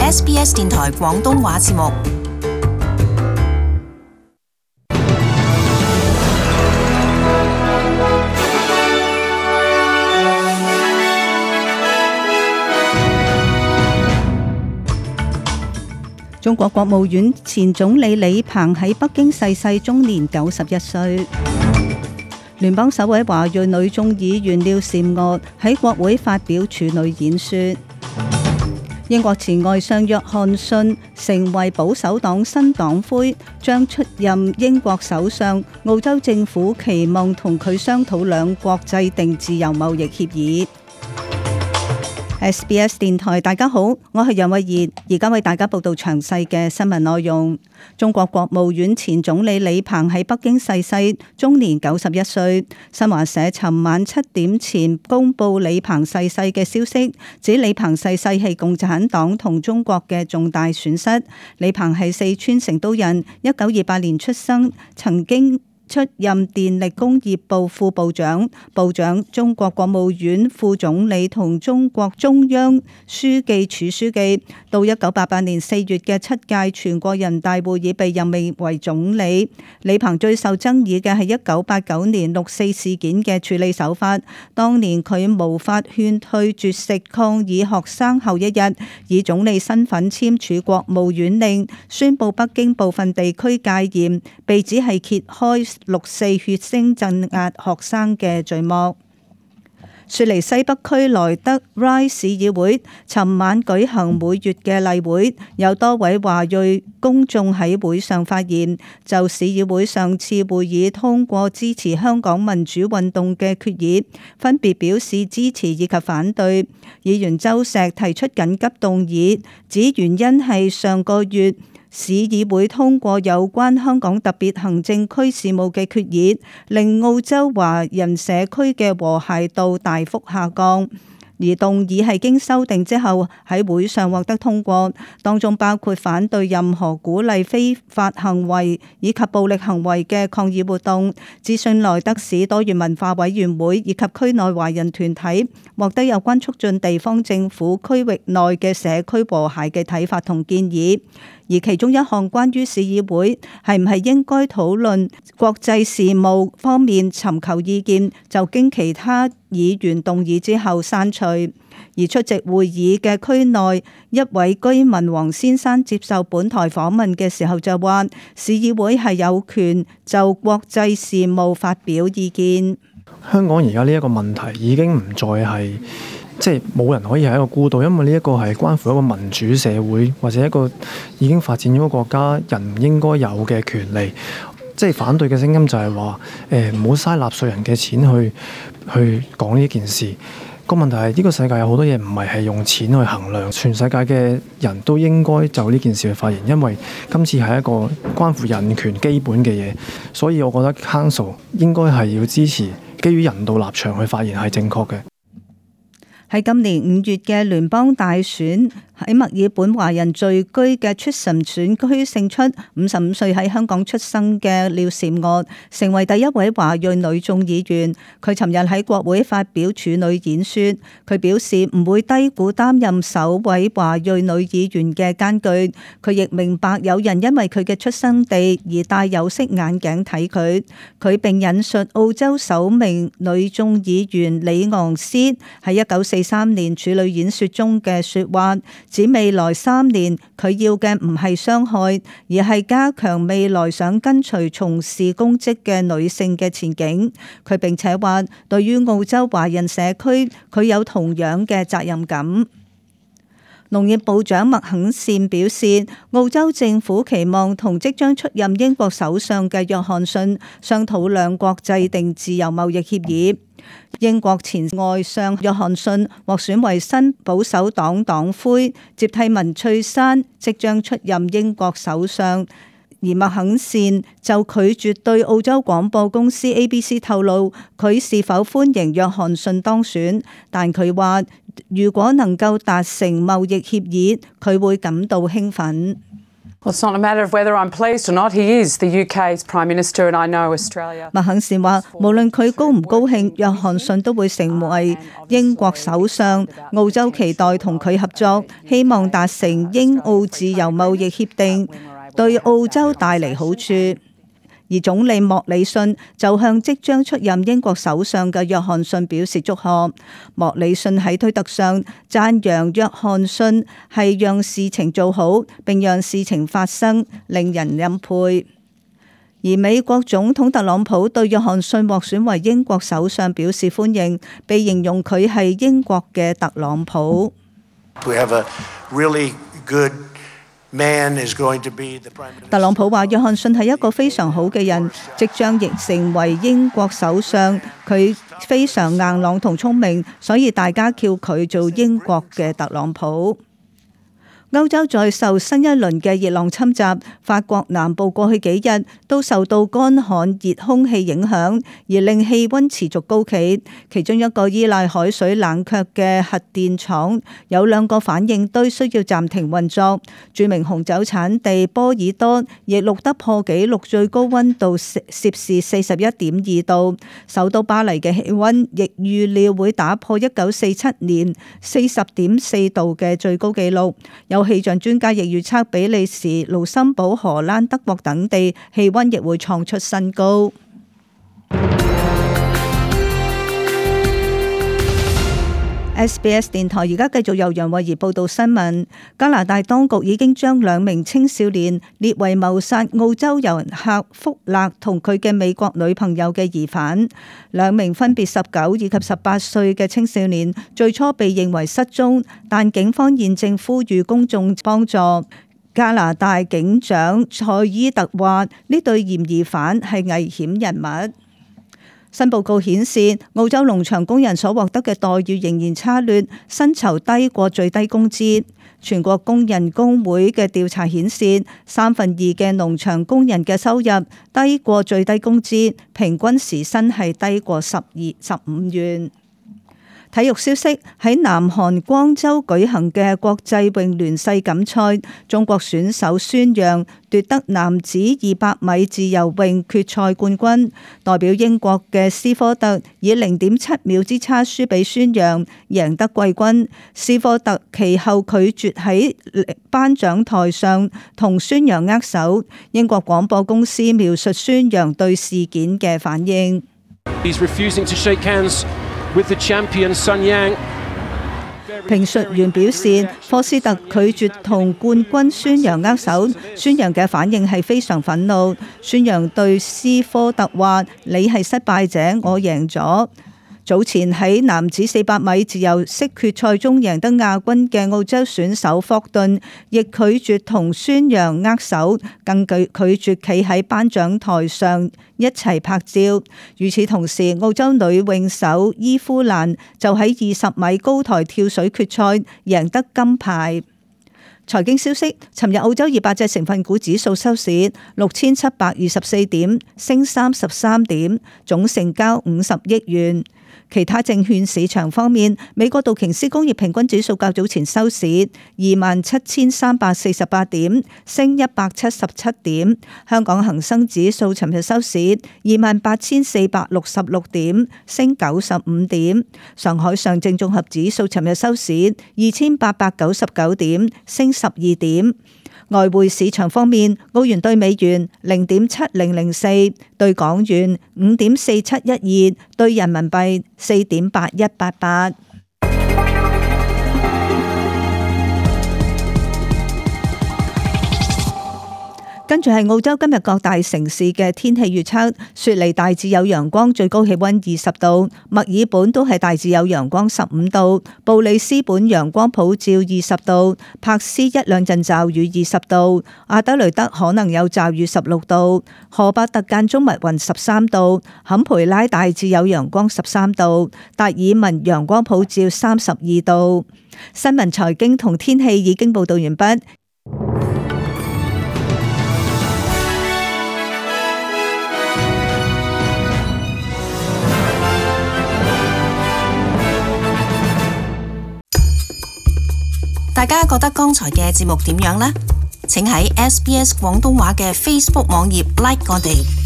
SBS 電台廣東話節目。中國國務院前總理李鵬喺北京逝世，終年91歲。聯邦首位華裔女眾議員廖嬋娥喺國會發表處女演說。英國前外相約翰遜成為保守黨新黨魁，將出任英國首相。澳洲政府期望同佢商討兩國制定自由貿易協議。SBS 電台，大家好，我係楊慧儀，而家為大家報道詳細嘅新聞內容。中國國務院前總理李鵬喺北京逝世，終年91歲。新華社尋晚7點前公布李鵬逝世嘅消息，指李鵬逝世係共產黨同中國嘅重大損失。李鵬係四川成都人，1928年出生，曾經出任電力工業部副部長、部長、中國國務院副總理同中國中央書記處書記。到1988年4月嘅7屆全國人大會議被任命為總理。李鵬最受爭議嘅係1989年6.4事件嘅處理手法。當年佢無法勸退絕食抗議學生後一日，以總理身份簽署國務院令，宣布北京部分地區戒嚴，被指係揭開6.4血腥鎮壓學生嘅序幕。雪梨西北區萊德 Ryde 市議會尋晚舉行每月嘅例會，有多位華裔公眾喺會上發言，就市議會上次會議通過支持香港民主運動嘅決議，分別表示支持以及反對。議員周石提出緊急動議，指原因係上個月市議會通過有關香港特別行政區事務嘅決議，令澳洲華人社區嘅和諧度大幅下降。而動議係經修訂之後喺會上獲得通過，當中包括反對任何鼓勵非法行為以及暴力行為嘅抗議活動。諮詢萊德市多元文化委員會以及區內華人團體，獲得有關促進地方政府區域內嘅社區和諧嘅睇法同建議。而其中一項關於市議會係唔係應該討論國際事務方面尋求意見，就經其他議員動議之後刪除。而出席會議嘅區內一位居民黃先生接受本台訪問嘅時候就話，市議會係有權就國際事務發表意見。香港而家呢一個問題已經唔再係冇人可以係一個孤島，因為呢一個係關乎一個民主社會或者一個已經發展咗嘅國家人唔應該有嘅權利。反對嘅聲音就係話唔好嘥納稅人嘅錢去講呢件事。個問題係呢個世界有好多嘢唔係用錢去衡量，全世界嘅人都應該就呢件事去發言，因為今次係一個關乎人權基本嘅嘢，所以我覺得 Council 應該係要支持基於人道立場去發言係正確嘅。喺今年5月嘅聯邦大選，喺墨爾本華人聚居嘅 Tristan 選區勝出55歲喺香港出生嘅廖嬋娥，成為第一位華裔女眾議員。佢尋日喺國會發表處女演說，佢表示唔會低估擔任首位華裔女議員嘅艱巨。佢亦明白有人因為佢嘅出生地而戴有色眼鏡睇佢。佢並引述澳洲首名女眾議員李昂斯喺1943年處女演說中嘅說話，指未來3年佢要嘅唔係傷害，而係加強未來想跟隨從事公職嘅女性嘅前景。佢並且話，對於澳洲華人社區，佢有同樣嘅責任感。農業部長麥肯善表示，澳洲政府期望同即將出任英國首相嘅約翰遜商討兩國制定自由貿易協議。英國前外相約翰遜獲選為新保守黨黨魁，接替文翠珊，即將出任英國首相。而麥肯善就拒絕對澳洲廣播公司 ABC 透露佢是否歡迎約翰遜當選，但佢話如果能夠達成貿易協議，佢會感到興奮。Well, it's not a matter of whether I'm pleased or not. He is the UK's Prime Minister, and I know Australia. 麥肯善話，無論佢高唔高興，約翰遜都會成為英國首相。澳洲期待同佢合作，希望達成英澳自由貿易協定，對澳洲帶嚟好處。而總理莫里遜就向即將出任英國首相嘅約翰遜表示祝賀。莫里遜喺推特上讚揚約翰遜係讓事情做好並讓事情發生，令人欽佩。而美國總統特朗普對約翰遜獲選為英國首相表示歡迎，被形容佢係英國嘅特朗普。We have a really good特朗普話：約翰遜係一個非常好嘅人，即將亦成為英國首相。佢非常硬朗同聰明，所以大家叫佢做英國嘅特朗普。歐洲再受新一輪嘅熱浪侵襲，法國南部過去幾日都受到乾旱熱空氣影響，而令氣溫持續高企。其中一個依賴海水冷卻嘅核電廠有2個反應堆需要暫停運作。著名紅酒產地波爾多亦錄得破紀錄最高溫度攝氏41.2度。首都巴黎嘅氣溫亦預料會打破1947年40.4度嘅最高紀錄。有氣象專家亦預測比利時、盧森堡、荷蘭、德國等地氣溫亦會創出新高。SBS 電台而家繼續由楊慧儀報道新聞。加拿大當局已經將2名青少年列為謀殺澳洲遊客福勒同佢嘅美國女朋友嘅疑犯。2名分別19以及18歲嘅青少年最初被認為失蹤，但警方現正呼籲公眾幫助。加拿大警長塞爾特話：呢對嫌疑犯係危險人物。新報告顯示，澳洲農場工人所獲得嘅待遇仍然差劣，薪酬低過最低工資。全國工人工會嘅調查顯示，2/3嘅農場工人嘅收入低過最低工資，平均時薪係低過15元。體育消息，喺南韓光州舉行嘅國際泳聯世錦賽，中國選手孫楊奪得男子200米自由泳決賽冠軍。代表英國嘅斯科特以0.7秒之差輸俾孫楊，贏得季軍。斯科特其後拒絕喺頒獎台上同孫楊握手。英國廣播公司描述孫楊對事件嘅反應。With the champion Sun Yang. 評述員表示，科斯特拒絕同冠軍孫楊握手，孫楊嘅反應係非常憤怒。孫楊對斯科特話：你係失敗者，我贏咗。早前喺男子400米自由式決賽中贏得亞軍嘅澳洲選手霍頓，亦拒絕同孫楊握手，更拒絕企喺頒獎台上一齊拍照。與此同時，澳洲女泳手伊夫蘭就喺20米高台跳水決賽贏得金牌。財經消息，尋日澳洲200隻成分股指數收市6724點，升33點，總成交50億元。其他證券市場方面，美國道瓊斯工業平均指數較早前收市27,348點，升177點。香港恒生指數尋日收市28,466點，升95點。上海上證綜合指數尋日收市2,899點，升12點。外匯市場方面，澳元兌美元0.7004，兌港元5.4712，兌人民幣4.8188。跟住係澳洲今日各大城市嘅天氣預測：雪梨大致有陽光，最高氣溫20度；墨爾本都係大致有陽光15度；布里斯本陽光普照20度；柏斯1兩陣驟雨20度；阿德雷德可能有驟雨16度；荷伯特間中密雲13度；坎培拉大致有陽光13度；達爾文陽光普照32度。新聞財經同天氣已經報道完畢。大家覺得剛才嘅節目點樣呢？請喺SBS 廣東話嘅 Facebook 網頁 like 我哋。